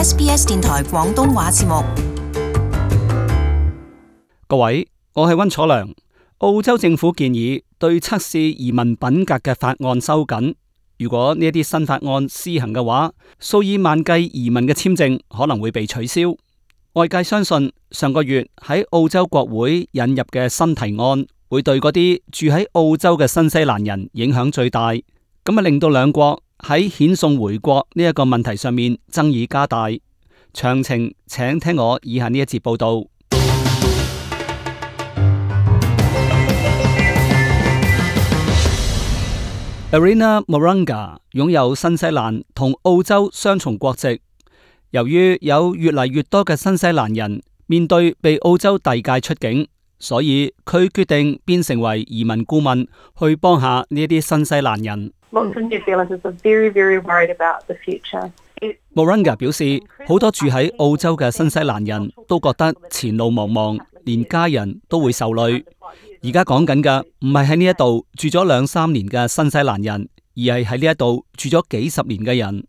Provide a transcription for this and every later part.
SBS 電台廣東話節目。各位，我係溫楚良。澳洲政府建議對測試移民品格嘅法案收緊。如果呢一啲新法案施行嘅話，數以萬計移民嘅簽證可能會被取消。外界相信上個月喺澳洲國會引入嘅新提案，會對嗰啲住喺澳洲嘅新西蘭人影響最大，咁令到兩國喺遣送回國呢一個問題上面爭議加大。詳情請聽我以下呢一節報道。Arina Moraga 擁有新西蘭同澳洲雙重國籍。由於有越嚟越多嘅新西蘭人面對被澳洲遞解出境，所以佢決定變成為移民顧問，去幫下呢啲新西蘭人。Moraga 表示，好多住喺澳洲嘅新西蘭人都覺得前路茫茫，連家人都會受累。而家講緊嘅唔係喺呢一度住咗2-3年嘅新西蘭人，而係喺呢一度住咗幾十年嘅人。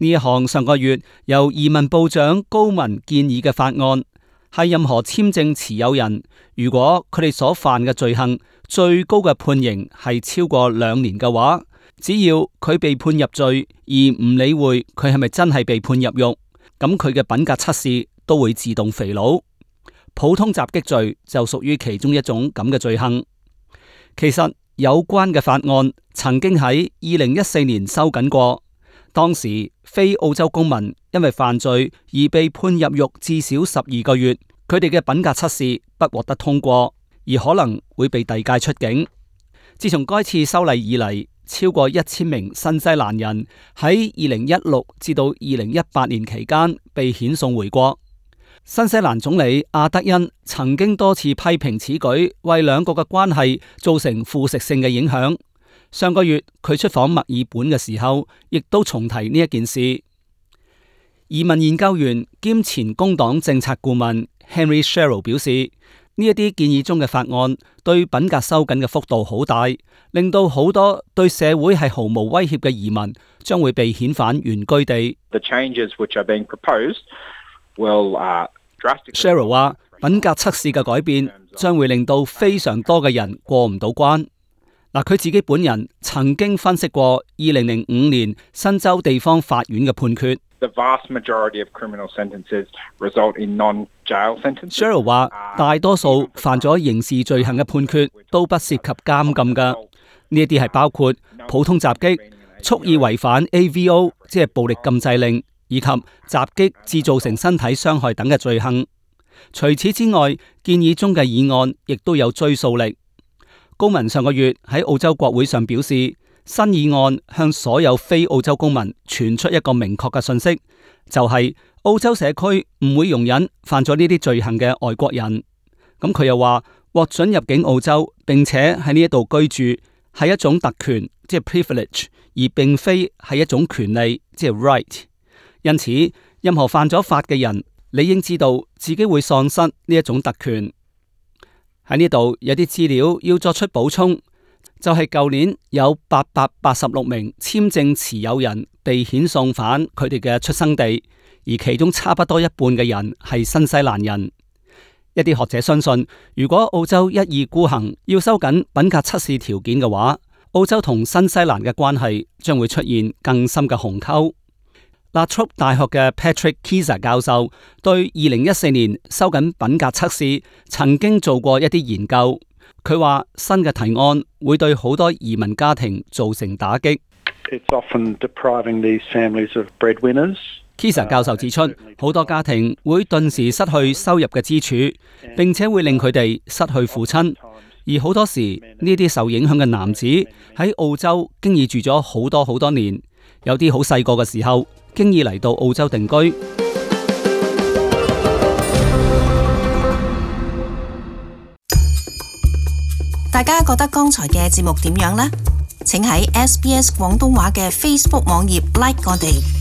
呢一項上個月由移民部長高文建議嘅法案，係任何簽證持有人，如果佢哋所犯嘅罪行最高嘅判刑係超過2年嘅話，只要佢被判入罪而唔理會佢係咪真係被判入獄，咁佢嘅品格測試都會自動肥佬。普通襲擊罪就屬於其中一種咁嘅罪行。其實有關嘅法案曾經喺2014年收緊過，當時非澳洲公民因為犯罪而被判入獄至少12個月，佢哋嘅品格測試不獲得通過，而可能會被遞解出境。自從該次修例以嚟，超過1000名新西蘭人喺2016至到2018年期間被遣送回國。新西蘭總理阿德恩曾經多次批評此舉為兩國嘅關係造成腐蝕性嘅影響。上個月佢出訪墨爾本嘅時候，亦都重提呢一件事。移民研究員兼前工黨政策顧問 Henry Sherrill 表示，呢一啲建議中嘅法案對品格收緊嘅幅度好大，令到好多對社會係毫無威脅嘅移民將會被遣返原居地。Sherrill 話，品格測試嘅改變將會令到非常多嘅人過唔到關。佢自己本人曾經分析過2005年新州地方法院嘅判決。Sherrill 話，大多數犯咗刑事罪行嘅判決都不涉及監禁㗎。呢一啲係包括普通襲擊、蓄意違反 AVO 即係暴力禁制令，以及襲擊致造成身體傷害等嘅罪行。除此之外，建議中嘅議案亦都有追溯力。高文上個月喺澳洲國會上表示，新議案向所有非澳洲公民傳出一個明確嘅信息，就係澳洲社區唔會容忍犯咗呢啲罪行嘅外國人。咁佢又話，獲准入境澳洲並且喺呢一度居住係一種特權，即係 privilege， 而並非係一種權利，即係 right。因此，任何犯咗法嘅人理應知道自己會喪失呢一種特權。喺呢度有啲資料要作出補充，就係舊年有886名簽證持有人被遣送返佢哋嘅出生地，而其中差不多一半嘅人係新西蘭人。一啲學者相信，如果澳洲一意孤行要收緊品格測試條件嘅話，澳洲同新西蘭嘅關係將會出現更深嘅鴻溝。La Trobe 大學嘅 Patrick Keyser 教授對2014年收緊品格測試曾經做過一啲研究，佢話新嘅提案會對好多移民家庭造成打擊。Keyser 教授指出，好多家庭會頓時失去收入嘅支柱，並且會令佢哋失去父親，而好多時呢啲受影響嘅男子喺澳洲經已住咗好多年，有啲好細個嘅時候經已嚟到澳洲定居。大家覺得剛才嘅節目點樣呢？請喺SBS 廣東話嘅 Facebook 網頁 like 我哋。